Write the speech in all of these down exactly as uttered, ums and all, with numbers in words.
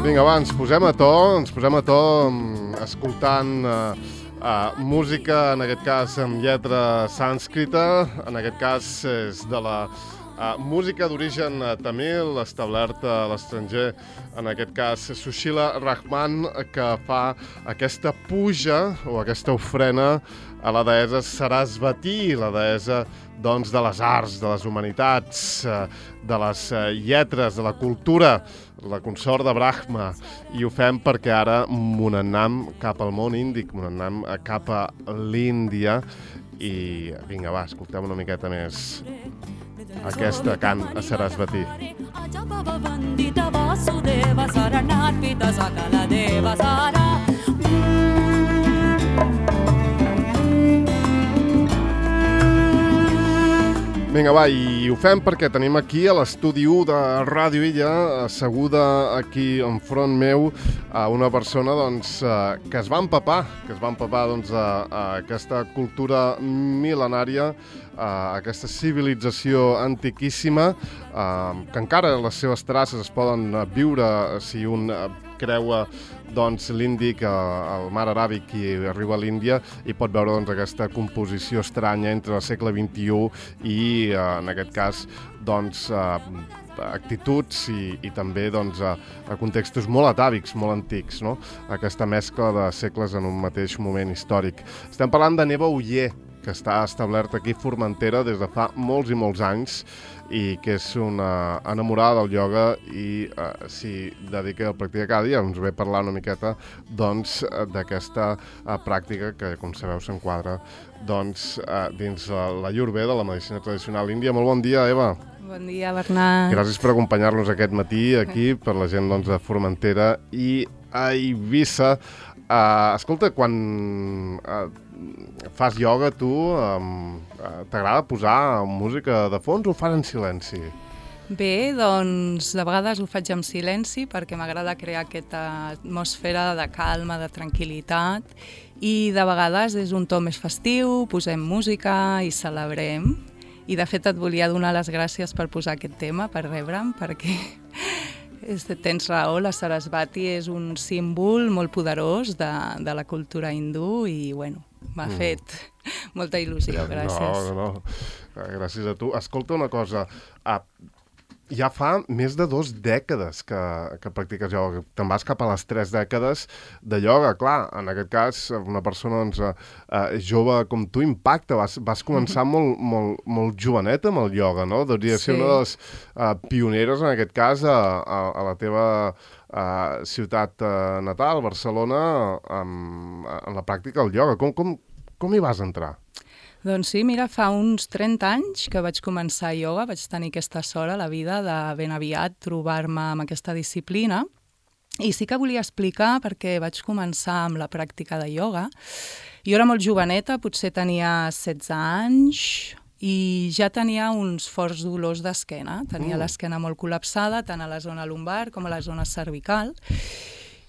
Vinga, va, ens posem a to, ens posem a to escoltant uh, uh, música, en aquest cas amb lletra sànscrita, en aquest cas és de la uh, música d'origen tamil, establerta a l'estranger, en aquest cas Sushila Rahman, que fa aquesta puja o aquesta ofrena a la deessa Sarasvati, la deessa doncs, de les arts, de les humanitats, de les lletres, de la cultura, la consort de Brahma, i ho fem perquè ara mon anem cap al món índic, mon anem cap a l'Índia, i vinga, va, escoltem una miqueta més aquesta cant a Sarasvati. Vinga, va, i ho fem perquè tenim aquí a l'estudi u de Ràdio Illa, asseguda aquí enfront meu, a una persona doncs, que es va empapar, que es va empapar doncs, a, a aquesta cultura mil·lenària, a aquesta civilització antiquíssima, que encara les seves traces es poden viure si un creua doncs, l'Índic, el mar Aràbic, i arriba a l'Índia, i pot veure doncs, aquesta composició estranya entre el segle vint-i-u i, en aquest cas, doncs, actituds i, i també doncs, a, a contextos molt atàvics, molt antics, no? Aquesta mescla de segles en un mateix moment històric. Estem parlant de Neva Oller, que està establerta aquí a Formentera des de fa molts i molts anys, i que és una enamorada del ioga i uh, s'hi dedica a practicar cada dia. Ens ve a parlar una miqueta doncs, d'aquesta uh, pràctica que, com sabeu, s'enquadra doncs, uh, dins uh, la Ayurveda, la medicina tradicional índia. Molt bon dia, Eva. Bon dia, Bernat. Gràcies per acompanyar-nos aquest matí aquí, per la gent doncs, de Formentera i a Eivissa. Uh, escolta, quan uh, fas ioga, tu um, uh, t'agrada posar música de fons o ho fas en silenci? Bé, doncs de vegades ho faig en silenci perquè m'agrada crear aquesta atmosfera de calma, de tranquil·litat, i de vegades és un to més festiu, posem música i celebrem. I de fet et volia donar les gràcies per posar aquest tema, per rebre'm, perquè tens raó, la Sarasvati és un símbol molt poderós de, de la cultura hindú i, bueno, m'ha mm. fet molta il·lusió, gràcies. No, no, no, gràcies a tu. Escolta una cosa, ah, ja fa més de dues dècades que, que practiques ioga, te'n vas cap a les tres dècades de ioga. Clar, en aquest cas, una persona doncs, uh, jove com tu impacta, vas, vas començar mm-hmm. molt, molt, molt joveneta amb el ioga, no? Devia ser sí. una de les uh, pioneres, en aquest cas, a, a, a la teva uh, ciutat uh, natal, Barcelona, um, en la pràctica del ioga. Com, com, com hi vas entrar? Doncs sí, mira, fa uns trenta anys que vaig començar ioga, vaig tenir aquesta sort a la vida de ben aviat trobar-me amb aquesta disciplina, i sí que volia explicar perquè vaig començar amb la pràctica de ioga. Jo era molt joveneta, potser tenia setze anys, i ja tenia uns forts dolors d'esquena, tenia mm. l'esquena molt col·lapsada, tant a la zona lumbar com a la zona cervical.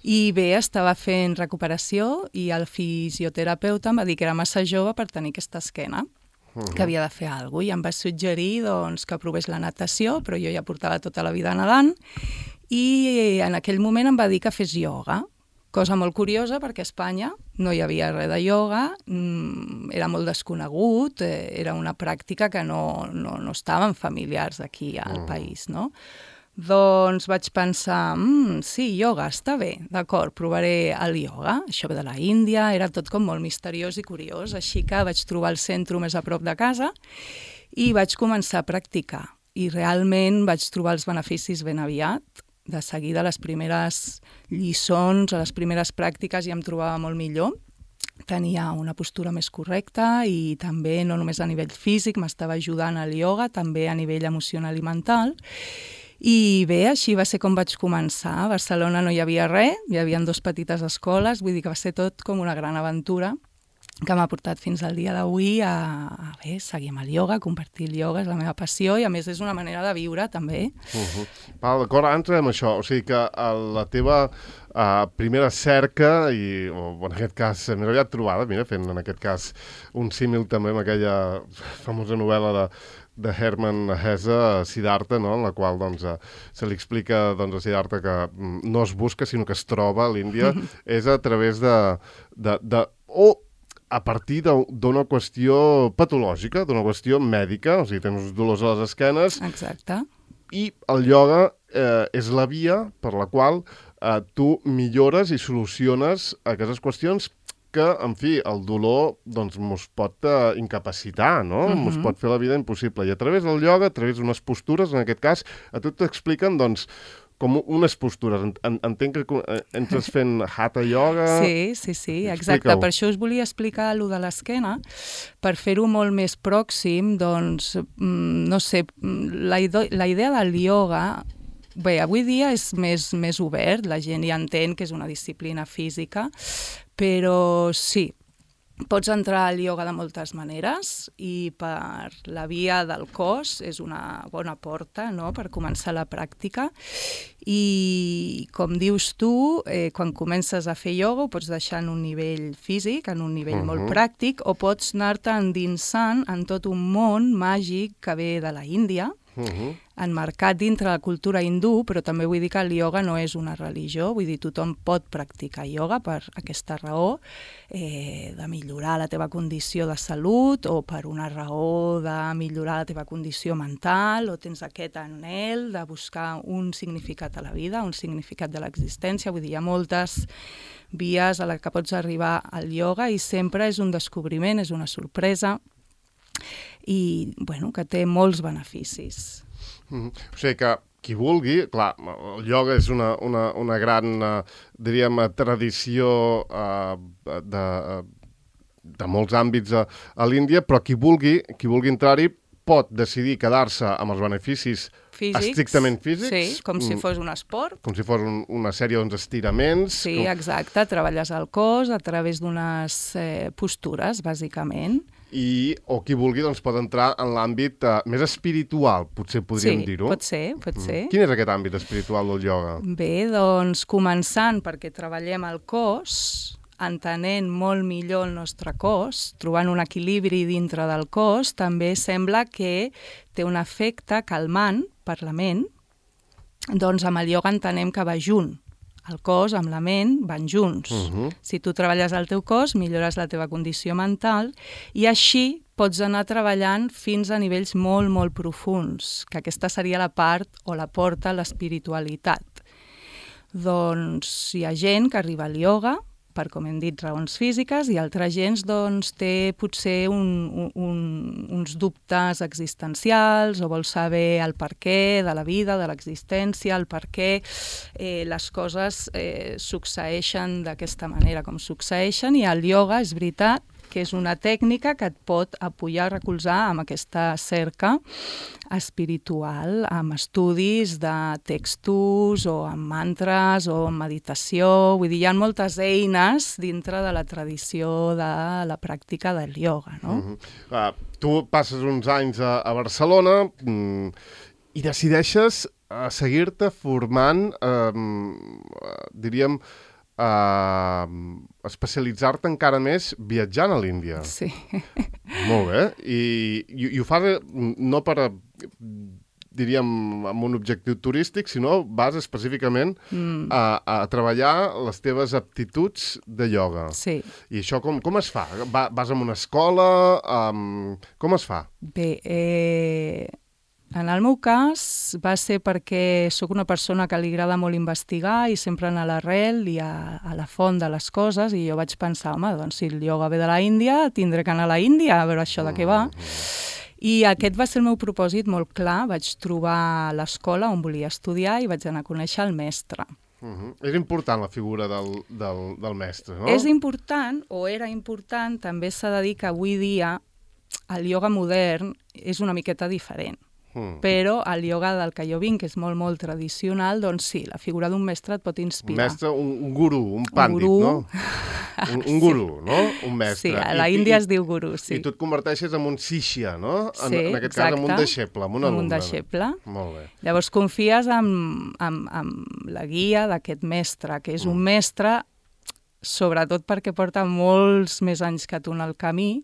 I bé, estava fent recuperació i el fisioterapeuta em va dir que era massa jove per tenir aquesta esquena, uh-huh. que havia de fer alguna cosa, i em va suggerir doncs, que provés la natació, però jo ja portava tota la vida nedant, i en aquell moment em va dir que fes ioga, cosa molt curiosa perquè a Espanya no hi havia res de ioga, era molt desconegut, era una pràctica que no, no, no estaven familiars aquí al uh-huh. país, no? Doncs vaig pensar, mmm, sí, ioga, està bé, d'acord, provaré el ioga. Això ve de la Índia, era tot com molt misteriós i curiós, així que vaig trobar el centre més a prop de casa i vaig començar a practicar. I realment vaig trobar els beneficis ben aviat. De seguida, les primeres lliçons, les primeres pràctiques ja em trobava molt millor. Tenia una postura més correcta i també, no només a nivell físic, m'estava ajudant el ioga, també a nivell emocional i mental. I bé, així va ser com vaig començar. A Barcelona no hi havia res, hi havia dues petites escoles, vull dir que va ser tot com una gran aventura que m'ha portat fins al dia d'avui a, a bé, seguir amb el ioga, compartir el ioga, és la meva passió i a més és una manera de viure també. Uh-huh. Val, d'acord, ara entrem en això, o sigui que la teva uh, primera cerca, i o, en aquest cas més aviat trobada, mira, fent en aquest cas un símil també amb aquella famosa novel·la de de Hermann Hesse a Siddhartha, no? En la qual doncs, se li explica doncs, a Siddhartha que no es busca, sinó que es troba a l'Índia, és a través de... de, de o a partir d'una qüestió patològica, d'una qüestió mèdica, o sigui, tens uns dolors a les esquenes... Exacte. I el ioga eh, és la via per la qual eh, tu millores i soluciones aquestes qüestions que, en fi, el dolor doncs mos pot uh, incapacitar, no? Uh-huh. Mos pot fer la vida impossible. I a través del ioga, a través d'unes postures, en aquest cas, a tu t'expliquen, doncs, com unes postures. En, entenc que entres fent hatha yoga... Sí, sí, sí, exacte. Per això us volia explicar allò de l'esquena, per fer-ho molt més pròxim, doncs, no sé, la, la idea del ioga... Bé, avui dia és més, més obert, la gent ja entén que és una disciplina física, però sí, pots entrar al ioga de moltes maneres i per la via del cos és una bona porta, no?, per començar la pràctica. I, com dius tu, eh, quan comences a fer ioga ho pots deixar en un nivell físic, en un nivell uh-huh. molt pràctic, o pots anar-te endinsant en tot un món màgic que ve de la Índia, Uh-huh. enmarcat dintre la cultura hindú, però també vull dir que el ioga no és una religió, vull dir, tothom pot practicar ioga per aquesta raó, eh, de millorar la teva condició de salut, o per una raó de millorar la teva condició mental, o tens aquest anhel de buscar un significat a la vida, un significat de l'existència, vull dir, hi ha moltes vies a les que pots arribar al ioga i sempre és un descobriment, és una sorpresa, i bueno, que té molts beneficis. Mm-hmm. O sigui que qui vulgui, clar, el ioga és una, una, una gran, uh, diríem, tradició uh, de, de molts àmbits a, a l'Índia, però qui vulgui, qui vulgui entrar-hi pot decidir quedar-se amb els beneficis físics, estrictament físics. Sí, com si fos un esport. Com si fos un, una sèrie doncs, estiraments. Sí, com... exacte, treballes el cos a través d'unes eh, postures, bàsicament. I, o qui vulgui doncs, pot entrar en l'àmbit uh, més espiritual, potser podríem sí, dir-ho. Sí, pot ser, pot ser. Mm. Quin és aquest àmbit espiritual del ioga? Bé, doncs, començant perquè treballem el cos, entenent molt millor el nostre cos, trobant un equilibri dintre del cos, també sembla que té un efecte calmant per la ment, doncs amb el ioga entenem que va junt. El cos amb la ment van junts. Uh-huh. Si tu treballes el teu cos, millores la teva condició mental i així pots anar treballant fins a nivells molt, molt profuns, que aquesta seria la part o la porta a l'espiritualitat. Doncs hi ha gent que arriba al ioga per, com hem dit, raons físiques, i altra gent doncs, té potser un, un, uns dubtes existencials o vol saber el perquè de la vida, de l'existència, el per què eh, les coses eh, succeeixen d'aquesta manera com succeeixen, i el ioga, és veritat, que és una tècnica que et pot apoyar, recolzar amb aquesta cerca espiritual, amb estudis de textos o amb mantres o amb meditació. Vull dir, hi ha moltes eines dintre de la tradició de la pràctica del ioga, no? Mm-hmm. uh, tu passes uns anys a, a Barcelona mm, i decideixes uh, seguir-te formant, uh, diríem, Uh, especialitzar-te encara més viatjant a l'Índia. Sí. Molt bé. I, i, i ho fas no per, diríem, amb un objectiu turístic, sinó vas específicament mm. a, a treballar les teves aptituds de ioga. Sí. I això com, com es fa? Va, vas a una escola? Um, com es fa? Bé, eh... en el meu cas va ser perquè sóc una persona que li agrada molt investigar i sempre anar a l'arrel i a, a la font de les coses, i jo vaig pensar, home, doncs si el ioga ve de la Índia, tindré que anar a la Índia a veure això de què va. I aquest va ser el meu propòsit molt clar. Vaig trobar l'escola on volia estudiar i vaig anar a conèixer el mestre. Uh-huh. És important la figura del, del, del mestre, no? És important, o era important, també s'ha de dir que avui dia el ioga modern és una miqueta diferent. Mm. Però el ioga del que jo vinc, que és molt, molt tradicional, doncs sí, la figura d'un mestre et pot inspirar. Un mestre, un, un guru, un pàndit, un guru. No? Un, un guru, sí. No? Un mestre. Sí, a la I, Índia i, es diu guru, sí. I tu et converteixes en un sishya, no? En, sí, en aquest exacte. cas, en un deixeble, en un alumne. En un deixeble. Molt bé. Llavors confies en, en, en la guia d'aquest mestre, que és mm. un mestre, sobretot perquè porta molts més anys que tu en el camí,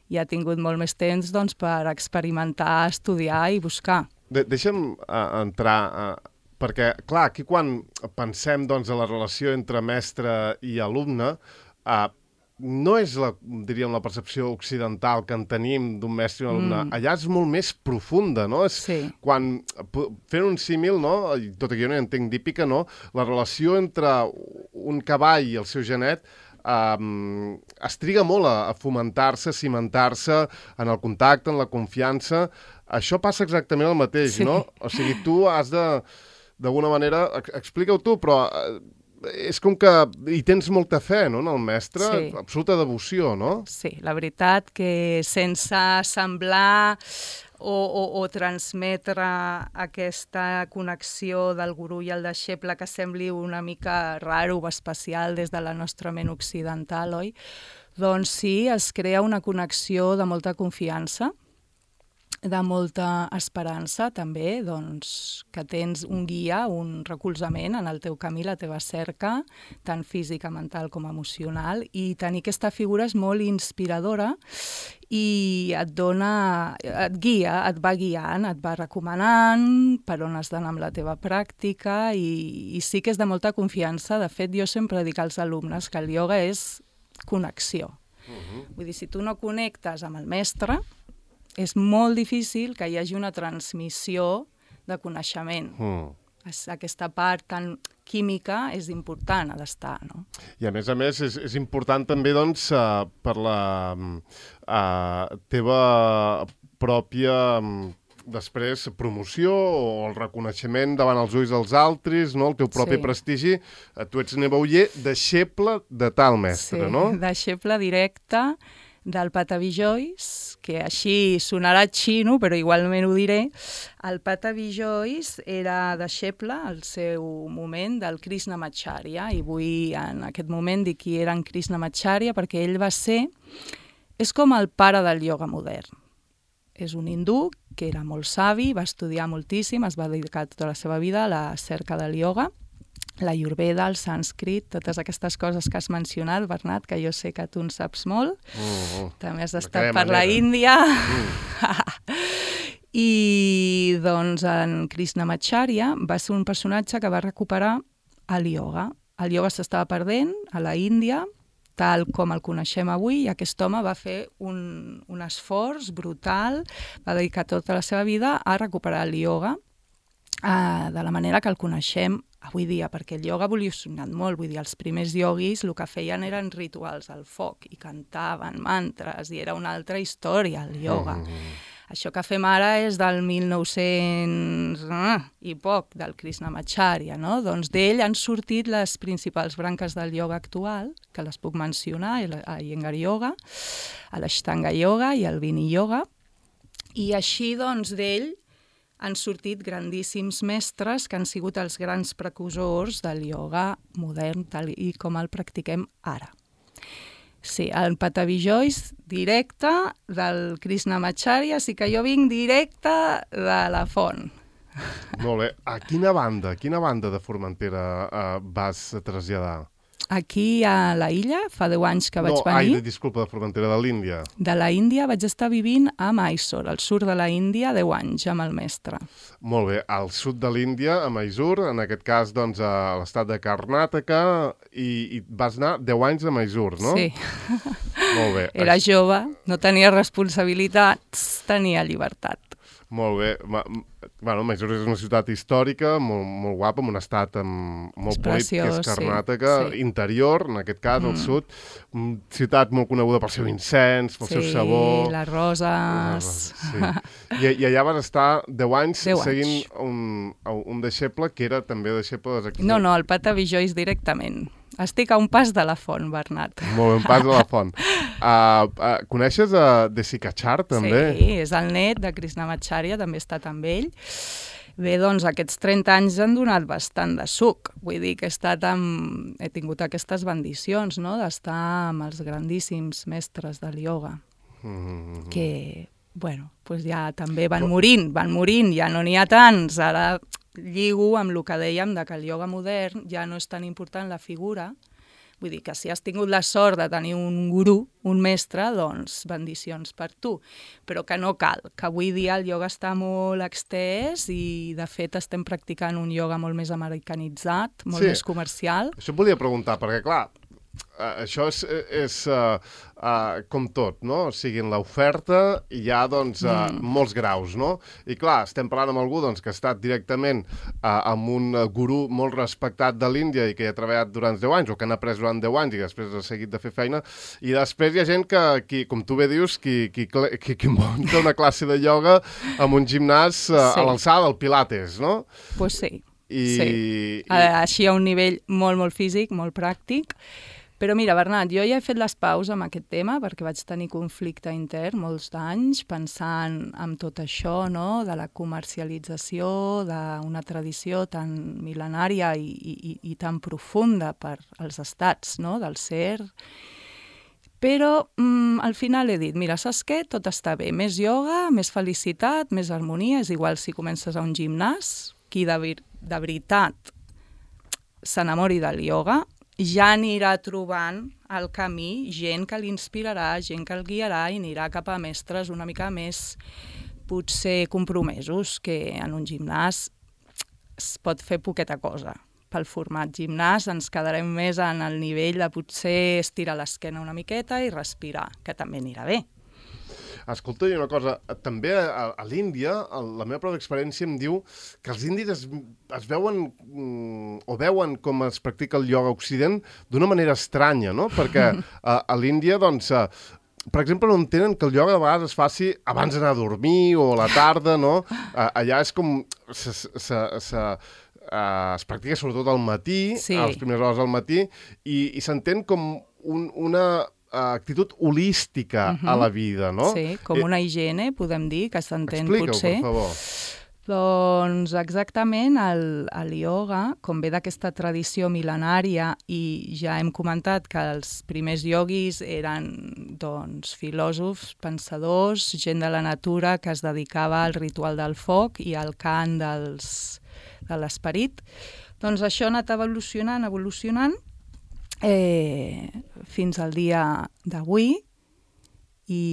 i ha tingut molt més temps doncs, per experimentar, estudiar i buscar. De Deixa'm uh, entrar... Uh... Perquè, clar, aquí quan pensem doncs, en la relació entre mestre i alumne, eh, no és, la, diríem, la percepció occidental que en tenim d'un mestre i un alumne. Mm. Allà és molt més profunda, no? És sí. Quan, fent un símil, no? Tot i que jo no entenc d'hípica, no? La relació entre un cavall i el seu genet Um, es triga molt a, a fomentar-se, a cimentar-se en el contacte, en la confiança. Això passa exactament el mateix, sí. no? O sigui, tu has de... D'alguna manera, explica-ho tu, però és com que hi tens molta fe, no?, en el mestre, sí. absoluta devoció, no? Sí, la veritat que sense semblar o, o, o transmetre aquesta connexió del gurú i el deixeble que sembli una mica raro o especial des de la nostra ment occidental, oi? Doncs sí, es crea una connexió de molta confiança, de molta esperança també, doncs, que tens un guia, un recolzament en el teu camí, la teva cerca, tant física, mental com emocional, i tenir aquesta figura és molt inspiradora i et dona, et guia, et va guiant, et va recomanant per on has d'anar amb la teva pràctica i, i sí que és de molta confiança. De fet, jo sempre dic als alumnes que el ioga és connexió. Uh-huh. Vull dir, si tu no connectes amb el mestre, és molt difícil que hi hagi una transmissió de coneixement. Mm. Aquesta part tan química és important, ha d'estar, no? I a més a més és, és important també, doncs, uh, per la uh, teva pròpia, um, després, promoció o el reconeixement davant els ulls dels altres, no? El teu propi sí. prestigi. Uh, tu ets Nebauller, deixeble de tal mestre, sí, no? Sí, deixeble directe del Patavi Jois, que així sonarà xino, però igualment ho diré. El Patavi Jois era deixeble al seu moment del Krishnamacharya, i vull en aquest moment dir qui era en Krishnamacharya perquè ell va ser... És com el pare del ioga modern. És un hindú que era molt savi, va estudiar moltíssim, es va dedicar tota la seva vida a la cerca del ioga, la Ayurveda, el sànscrit, totes aquestes coses que has mencionat, Bernat, que jo sé que tu en saps molt. Uh, uh, També has estat per la Índia. Uh. I, doncs, en Krishnamacharya va ser un personatge que va recuperar el ioga. El ioga s'estava perdent a la Índia, tal com el coneixem avui, i aquest home va fer un, un esforç brutal, va dedicar tota la seva vida a recuperar el ioga uh, de la manera que el coneixem avui dia, perquè el ioga ha evolucionat molt. Vull dir, els primers ioguis el que feien eren rituals al foc i cantaven mantres i era una altra història, el ioga. Mm. Això que fem ara és del mil nou-cents i poc, del Krishnamacharya, no? Doncs d'ell han sortit les principals branques del ioga actual, que les puc mencionar, el Iyengar Yoga, l'Ashtanga Yoga i el Vini Yoga, i així, doncs, d'ell han sortit grandíssims mestres que han sigut els grans precursors del ioga modern tal i com el practiquem ara. Sí, el Patavi Jois directe del Krishnamacharya, sí que jo vinc directe de la font. Molt bé. A quina banda, a quina banda de Formentera uh, vas traslladar? Aquí a la illa, fa deu anys que vaig no, venir. No, ai, disculpa, de Formentera, de l'Índia. De la Índia vaig estar vivint a Mysore, al sud de la Índia, deu anys, amb el mestre. Molt bé, al sud de l'Índia, a Mysore, en aquest cas, doncs, a l'estat de Karnataka, i, i vas anar deu anys a Mysore, no? Sí. Molt bé. Era jove, no tenia responsabilitats, tenia llibertat. Molt bé. Ma, bueno, Mysore és una ciutat històrica, molt, molt guapa, amb un estat amb, molt preciós, polit, que és Karnataka, sí, sí. Interior, en aquest cas, mm. al sud. Una ciutat molt coneguda pel seu incens, pel sí, seu sabor. Sí, les roses. Sí. I, I allà vas estar deu anys deu seguint anys. Un, un deixeble que era també deixeble... De... No, no, el Patavi Jois directament. Estic a un pas de la font, Bernat. Molt bé, un pas de la font. Uh, uh, coneixes a Desikachar, també? Sí, és el net de Krishnamacharya, també he estat amb ell. Bé, doncs aquests trenta anys han donat bastant de suc. Vull dir que he, estat amb... he tingut aquestes bendicions, no?, d'estar amb els grandíssims mestres del ioga, mm-hmm. que, bueno, doncs ja també van morint, van morint, ja no n'hi ha tants. Ara lligo amb el que dèiem de que el ioga modern ja no és tan important la figura, Vull dir que si has tingut la sort de tenir un gurú, un mestre, doncs bendicions per tu. Però que no cal, que avui dia el ioga està molt extès i de fet estem practicant un ioga molt més americanitzat, molt Sí. més comercial. Això et volia preguntar, perquè clar, Uh, això és, és uh, uh, com tot, no? O sigui, en l'oferta hi ha, doncs, uh, mm. molts graus, no? I clar, estem parlant amb algú doncs, que ha estat directament uh, amb un gurú molt respectat de l'Índia i que hi ha treballat durant deu anys, o que han après durant deu anys i després ha seguit de fer feina, i després hi ha gent que, qui, com tu bé dius, qui, qui, qui, qui munta una classe de ioga amb un gimnàs uh, sí. a l'alçada del Pilates, no? Pues sí, I, sí. I... Així a un nivell molt, molt físic, molt pràctic. Però mira, Bernat, jo ja he fet les paus amb aquest tema perquè vaig tenir conflicte intern molts d'anys pensant en tot això, no?, de la comercialització d'una tradició tan mil·lenària i, i, i tan profunda per als estats, no?, del ser. Però mm, al final he dit, mira, saps què? Tot està bé. Més ioga, més felicitat, més harmonia. És igual si comences a un gimnàs, qui de, de veritat s'enamori del ioga, ja anirà trobant al camí gent que l'inspirarà, gent que el guiarà i anirà cap a mestres una mica més potser compromesos, que en un gimnàs es pot fer poqueta cosa. Pel format gimnàs ens quedarem més en el nivell de potser estirar l'esquena una miqueta i respirar, que també anirà bé. Escolta, i una cosa, també a, a l'Índia, la meva pròpia experiència em diu que els indis es, es veuen mm, o veuen com es practica el ioga a Occident d'una manera estranya, no? Perquè a, a l'Índia, doncs, a, per exemple, no entenen que el ioga de vegades es faci abans d'anar a dormir o a la tarda, no? A, allà és com... Se, se, se, Uh, es practica sobretot al matí, sí. a les primeres hores del matí, i, i s'entén com un, una uh, actitud holística uh-huh. a la vida, no? Sí, com una higiene, podem dir, que s'entén potser. Explica-ho, per favor. Doncs exactament, el, el ioga, com ve d'aquesta tradició mil·lenària, i ja hem comentat que els primers ioguis eren doncs, filòsofs, pensadors, gent de la natura que es dedicava al ritual del foc i al cant dels... de l'esperit, doncs això ha anat evolucionant, evolucionant, eh, fins al dia d'avui, i,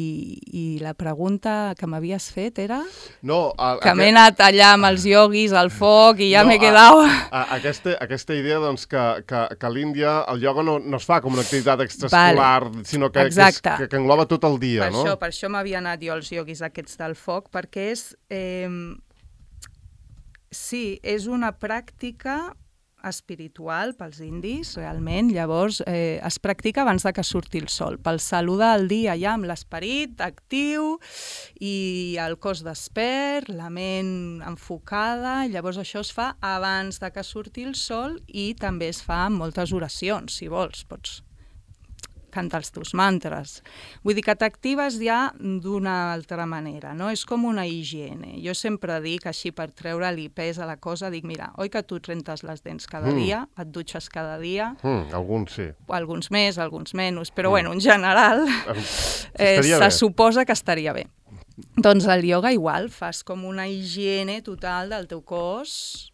i la pregunta que m'havies fet era... No, a, que m'he anat allà amb els ioguis, al foc, i ja no, m'he quedat... A, a, aquesta, aquesta idea doncs, que, que, que a l'Índia el ioga no, no es fa com una activitat extraescolar, vale. sinó que, que, és, que, que engloba tot el dia, per no? Això, per això m'havia anat jo als ioguis aquests del foc, perquè és... Eh, Sí, és una pràctica espiritual pels indis, realment. Llavors, eh, es practica abans de que surti el sol, pel saludar el dia ja amb l'esperit actiu i el cos despert, la ment enfocada. Llavors, això es fa abans de que surti el sol i també es fa amb moltes oracions, si vols, pots cantar els teus mantres. Vull dir que t'actives ja d'una altra manera, no? És com una higiene. Jo sempre dic, així per treure-li pes a la cosa, dic, mira, oi que tu et rentes les dents cada mm. dia, et dutxes cada dia? Mm, alguns sí. Alguns més, alguns menys, però mm. bueno, en general eh, se bé. suposa que estaria bé. Doncs el ioga igual, fas com una higiene total del teu cos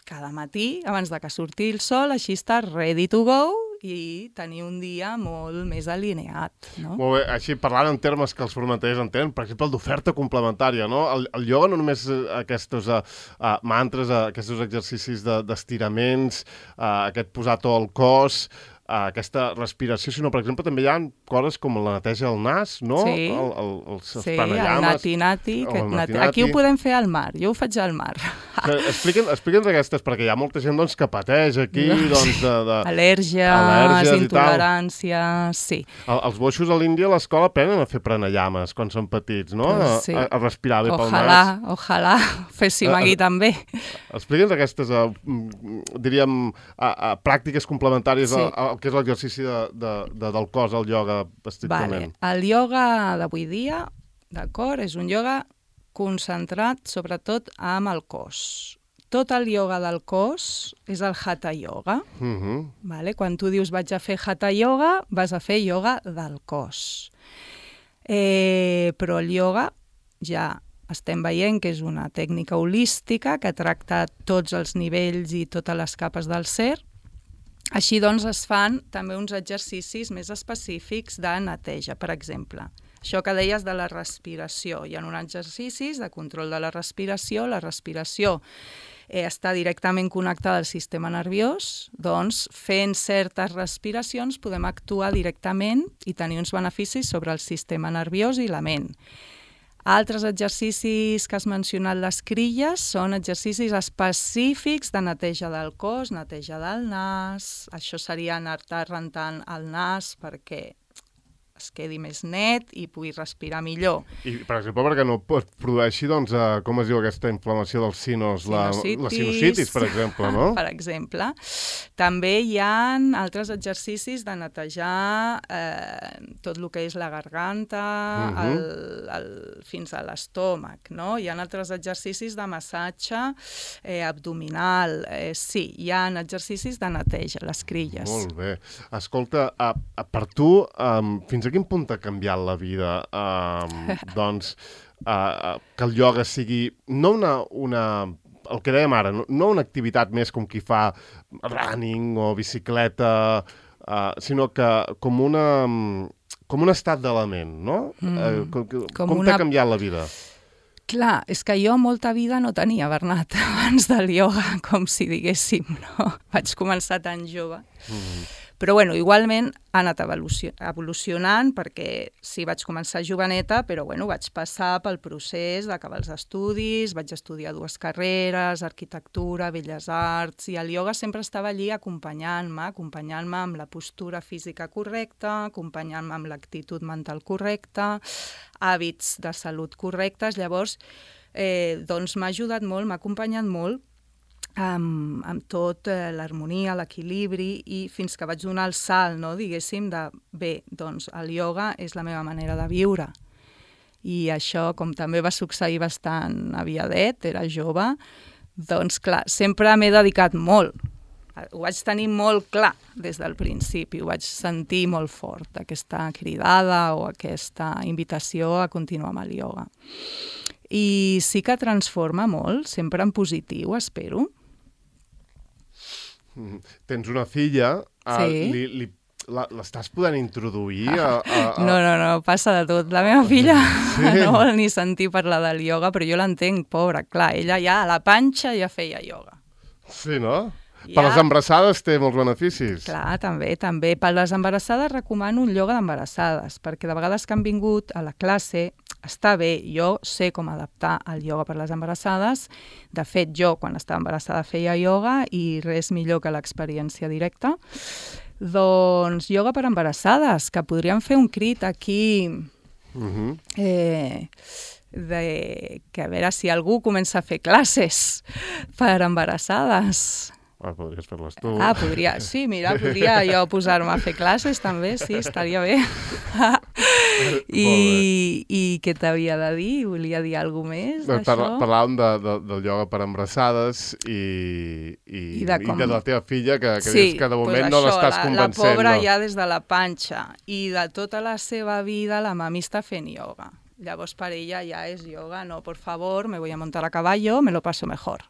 cada matí, abans de que surti el sol, així estàs ready to go, i tenir un dia molt més alineat, no? Molt bé, així parlant en termes que els formaters entenen, per exemple, el d'oferta complementària, no? El, el ioga no només aquests uh, uh, mantres, uh, aquests exercicis d'estiraments, de, uh, aquest posar tot el cos, uh, aquesta respiració, sinó, per exemple, també hi ha coses com la neteja del nas, no? Sí, el, el, els sí, pranayames, el nati-nati. Que el nati -nati. Aquí ho podem fer al mar, jo ho faig al mar. Explica'ns explica'ns aquestes, perquè hi ha molta gent doncs, que pateix aquí, doncs, de... de... Al·lèrgies, al·lèrgies intoleràncies, sí. El, els boixos a l'Índia a l'escola aprenen a fer pranayames quan són petits, no? Pues sí. a, a respirar bé pel ojalà, nas. Ojalà, féssim aquí també. Explica'ns aquestes, uh, diríem, uh, uh, pràctiques complementàries Sí. al que és l'exercici de, de, de, del cos, el ioga, estrictament. Vale. El ioga d'avui dia, d'acord, és un ioga concentrat sobretot amb el cos. Tot el ioga del cos és el hatha yoga. Uh -huh. Vale? Quan tu dius vaig a fer hatha yoga, vas a fer ioga del cos. Eh, però el ioga ja estem veient que és una tècnica holística que tracta tots els nivells i totes les capes del ser, Així doncs es fan també uns exercicis més específics de neteja, per exemple. Això que deies de la respiració. Hi ha uns exercicis de control de la respiració. La respiració eh, està directament connectada al sistema nerviós, doncs fent certes respiracions podem actuar directament i tenir uns beneficis sobre el sistema nerviós i la ment. Altres exercicis que has mencionat, les crilles, són exercicis específics de neteja del cos, neteja del nas. Això seria anar-te rentant el nas perquè es quedi més net i pugui respirar millor. I, per exemple, perquè no pot produeixi, doncs, eh, com es diu aquesta inflamació dels sinos? La, la sinusitis, per exemple, no? Per exemple. També hi ha altres exercicis de netejar eh, tot el que és la garganta, uh-huh. el, el, fins a l'estómac, no? Hi ha altres exercicis de massatge eh, abdominal. Eh, sí, hi ha exercicis de neteja, les crilles. Molt bé. Escolta, a, a, per tu, um, fins a quin punt ha canviat la vida? Um, doncs, uh, que el ioga sigui no una, una el que dèiem ara, no, no una activitat més com qui fa running o bicicleta, uh, sinó que com una com un estat de la ment, no? Mm, uh, com com, com una... t'ha canviat la vida? Clar, és que jo molta vida no tenia, Bernat, abans del ioga, com si diguéssim, no? Vaig començar tan jove. Mm. Però, bueno, igualment ha anat evolucionant perquè sí, vaig començar joveneta, però, bueno, vaig passar pel procés d'acabar els estudis, vaig estudiar dues carreres, arquitectura, belles arts, i el ioga sempre estava allí acompanyant-me, acompanyant-me amb la postura física correcta, acompanyant-me amb l'actitud mental correcta, hàbits de salut correctes. Llavors, eh, doncs m'ha ajudat molt, m'ha acompanyat molt, amb, amb tot eh, l'harmonia, l'equilibri, i fins que vaig donar el salt, no, diguéssim, de bé, doncs el ioga és la meva manera de viure. I això, com també va succeir bastant aviadet, era jove, doncs clar, sempre m'he dedicat molt. Ho vaig tenir molt clar des del principi, ho vaig sentir molt fort, aquesta cridada o aquesta invitació a continuar amb el ioga. I sí que transforma molt, sempre en positiu, espero. Tens una filla, sí. uh, li, li, l'estàs podent introduir a, a, a... No, no, no, passa de tot. La meva filla sí. no vol ni sentir parlar del ioga, però jo l'entenc, pobra, clar, ella ja a la panxa ja feia ioga. Sí, no? Ja... Per les embarassades té molts beneficis. Clar, també, també. Per les embarassades recomano un ioga d'embarassades, perquè de vegades que han vingut a la classe està bé, jo sé com adaptar el ioga per les embarassades. De fet, jo, quan estava embarassada, feia ioga i res millor que l'experiència directa. Doncs ioga per embarassades, que podríem fer un crit aquí, uh-huh. eh, de, que a veure si algú comença a fer classes per embarassades. Ah, podries fer-les tu. Ah, podria, sí, mira, podria jo posar-me a fer classes també, sí, estaria bé. I, i què t'havia de dir? Volia dir alguna més d'això? Parla, parlàvem de, de, del ioga per embarassades i, i, I, de, com... i de la teva filla, que, que sí, dius que de moment pues no l'estàs convencent. La pobra no? ja des de la panxa, i de tota la seva vida la mami està fent ioga. Llavors per ella ja és ioga, no, por favor, me voy a montar a caballo, me lo paso mejor.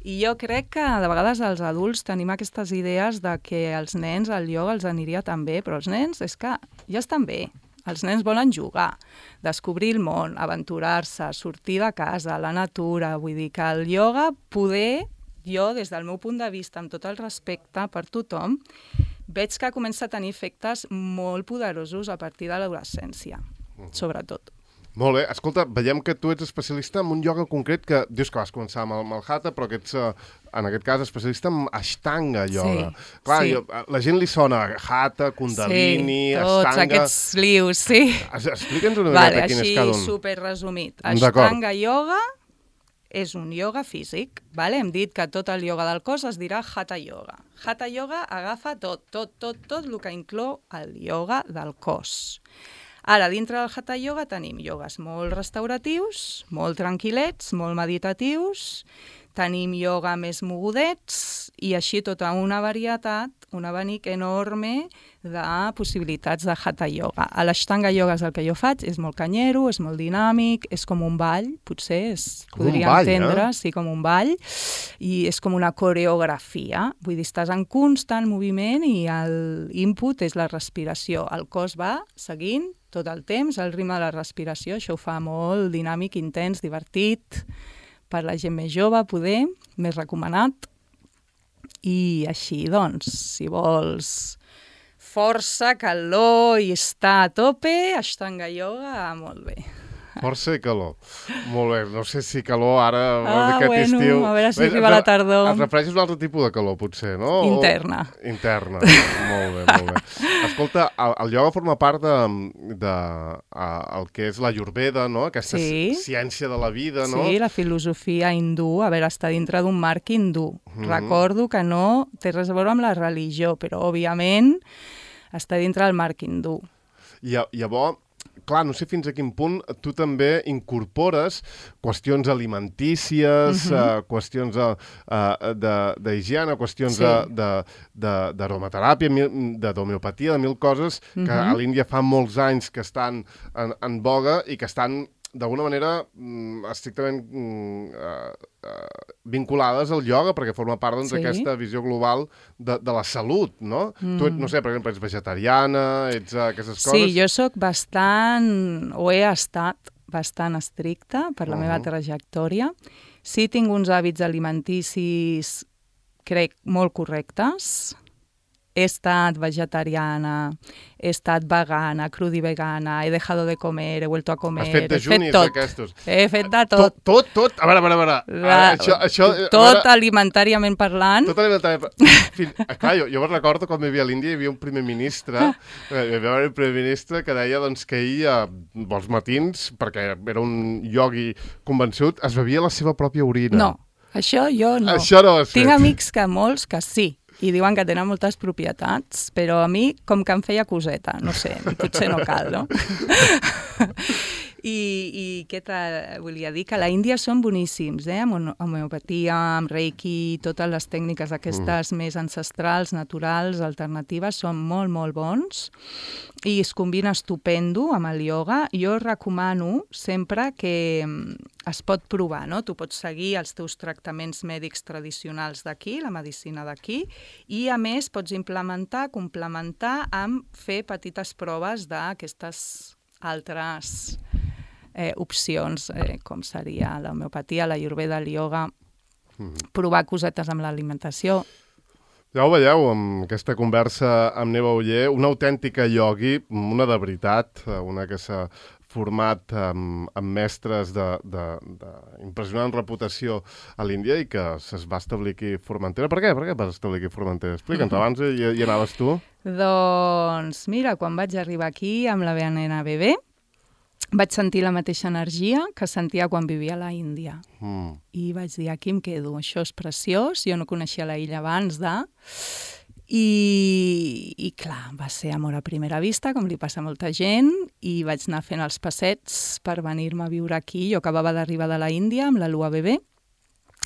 I jo crec que de vegades els adults tenim aquestes idees de que els nens el ioga els aniria tan bé, però els nens és que ja estan bé. Els nens volen jugar, descobrir el món, aventurar-se, sortir de casa, la natura. Vull dir que el ioga, poder, jo, des del meu punt de vista, amb tot el respecte per tothom, veig que comença a tenir efectes molt poderosos a partir de l'adolescència, sobretot. Molt bé. Escolta, veiem que tu ets especialista en un ioga concret que dius que vas començar amb el, amb el Hatha, però que ets, en aquest cas, especialista en Ashtanga ioga. Sí, Clar, sí. Jo, la gent li sona Hatha, Kundalini, sí, tots Ashtanga... aquests lius, sí. Explica'ns una vale, miqueta quin és cada un. Així, superresumit. Ashtanga ioga és un ioga físic. Vale? Hem dit que tot el ioga del cos es dirà Hatha ioga. Hatha ioga agafa tot, tot, tot, tot el que inclou el ioga del cos. Ara, dintre del Hatha ioga tenim iogues molt restauratius, molt tranquil·lets, molt meditatius, tenim ioga més mogudets i així tota una varietat un abanic enorme de possibilitats de Hatha Yoga. A l'Ashtanga Yoga és el que jo faig, és molt canyero, és molt dinàmic, és com un ball, potser es com podria un ball, entendre, eh? sí, com un ball, i és com una coreografia, vull dir, estàs en constant moviment i l'input és la respiració, el cos va seguint tot el temps, el ritme de la respiració, això ho fa molt dinàmic, intens, divertit, per la gent més jove, poder, més recomanat. I així, doncs, si vols força, calor i estar a tope, Ashtanga Yoga, molt bé. Força i calor. Molt bé, no sé si calor ara, Ah, aquest bueno, estiu... a veure si arriba la tardor. Et refereixes a un altre tipus de calor, potser, no? Interna. O... Interna, molt bé, molt bé. Escolta, el, el ioga forma part de, de a, el que és la Ayurveda, no? Aquesta Sí. ciència de la vida, no? Sí, la filosofia hindú, a veure, està dintre d'un marc hindú. Mhm. Recordo que no té res a veure amb la religió, però, òbviament, està dintre del marc hindú. I llavors, clar, no sé fins a quin punt tu també incorpores qüestions alimentícies, Mhm. uh, qüestions uh, uh, d'higiene, qüestions Sí. de- de- de- d'aromateràpia, mil- de d'homeopatia, de mil coses que Mhm. a l'Índia fa molts anys que estan en, en boga i que estan d'alguna manera mm, estrictament mm, uh, uh, vinculades al ioga, perquè forma part doncs, Sí. d'aquesta visió global de, de la salut, no? Mm. Tu, no sé, per exemple, ets vegetariana, ets uh, aquestes coses... Sí, jo sóc bastant, o he estat bastant estricta per la Uh-huh. meva trajectòria. Sí tinc uns hàbits alimenticis, crec, molt correctes. He estat vegetariana, he estat vegana, crudivegana, he dejado de comer, he vuelto a comer... Has fet he dejunis tot. d'aquestos. He fet de Tot, tot. tot, tot? A veure, a veure, a veure. La, Ah, això, això, a tot veure, alimentàriament parlant. tot alimentari... Fins... ah, Clar, jo, jo me'n recordo quan vivia a l'Índia hi havia un primer ministre, eh, hi havia un primer ministre que deia doncs, que ell, eh, als matins, perquè era un iogui convençut, es bevia la seva pròpia orina. No, això jo no. Això no ho has Tinc fet. amics que molts que sí, i diuen que tenen moltes propietats, però a mi com que em feia coseta, no sé, potser no cal, no? I, i què te volia dir? Que a la Índia són boníssims, eh? Amb hono- homeopatia, amb reiki, totes les tècniques aquestes mm. més ancestrals, naturals, alternatives, són molt, molt bons i es combina estupendo amb el ioga. Jo recomano sempre que mm, es pot provar, no? Tu pots seguir els teus tractaments mèdics tradicionals d'aquí, la medicina d'aquí, i a més pots implementar, complementar amb fer petites proves d'aquestes altres eh, opcions, eh, com seria l'homeopatia, la Ayurveda, el ioga, Mm. provar cosetes amb l'alimentació. Ja ho veieu, amb aquesta conversa amb Neva Oller, una autèntica iogui, una de veritat, una que s'ha format amb, amb mestres d'impressionant reputació a l'Índia i que es va establir aquí a Formentera. Per què? Per què vas establir aquí a Formentera? Explica'ns, abans hi, hi anaves tu? Doncs mira, quan vaig arribar aquí amb la meva nena bebè, vaig sentir la mateixa energia que sentia quan vivia a la Índia. Mm. I vaig dir, aquí em quedo, això és preciós, jo no coneixia la illa abans de... I, i clar, va ser amor a primera vista, com li passa a molta gent, i vaig anar fent els passets per venir-me a viure aquí. Jo acabava d'arribar de la Índia amb la Lua bebè,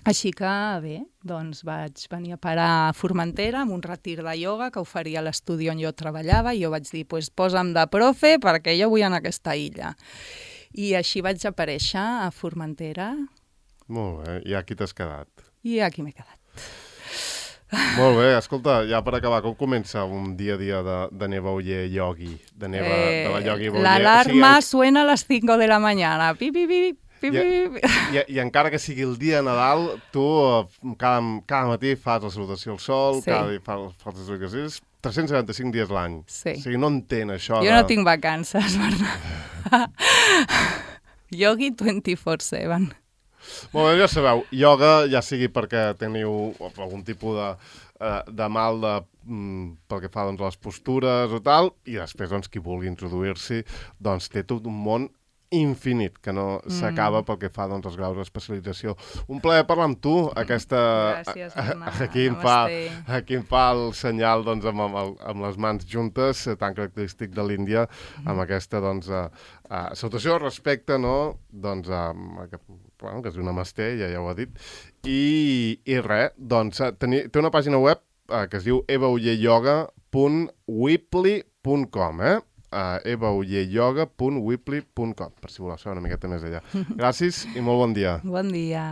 així que bé, doncs vaig venir a parar a Formentera amb un retir de ioga que oferia l'estudi on jo treballava i jo vaig dir, pues, posa'm de profe perquè jo vull anar a aquesta illa. I així vaig aparèixer a Formentera Molt bé, i aquí t'has quedat. i aquí m'he quedat. Molt bé, escolta, ja per acabar, com comença un dia a dia de, de Neva Oller iogui? De, Neva, eh, de la iogui Oller? L'alarma O sigui, suena a les cinco de la mañana. Pi, pi, pi, pi, pi, pi. I, i encara que sigui el dia de Nadal, tu eh, cada, cada matí fas la salutació al sol, Sí. cada dia fas, fas les exercicis, tres cents setanta-cinc dies l'any. Sí. O sigui, no entén això Jo de... no tinc vacances, Bernat. Yogi vint-i-quatre set. Molt bé, ja sabeu, ioga, ja sigui perquè teniu algun tipus de, eh, de mal de, mm, pel que fa doncs, a les postures o tal, i després doncs, qui vulgui introduir-s'hi doncs, té tot un món infinit, que no s'acaba pel que fa doncs, als graus d'especialització. Un plaer parlar amb tu, aquesta... Gràcies, Bernat. Aquí em fa, Namasté. aquí em fa el senyal doncs, amb, amb, el, amb les mans juntes, eh, tan característic de l'Índia, amb aquesta doncs, eh, eh, salutació, respecte, no? Doncs, eh, bueno, que és una masté, ja, ja ho ha dit. I, i res, doncs, eh, teni, té una pàgina web uh, que es diu eva oller yoga punt weebly punt com, eh? Uh, eva oller yoga punt weebly punt com, per si voleu saber una miqueta més allà. Gràcies i molt bon dia. Bon dia.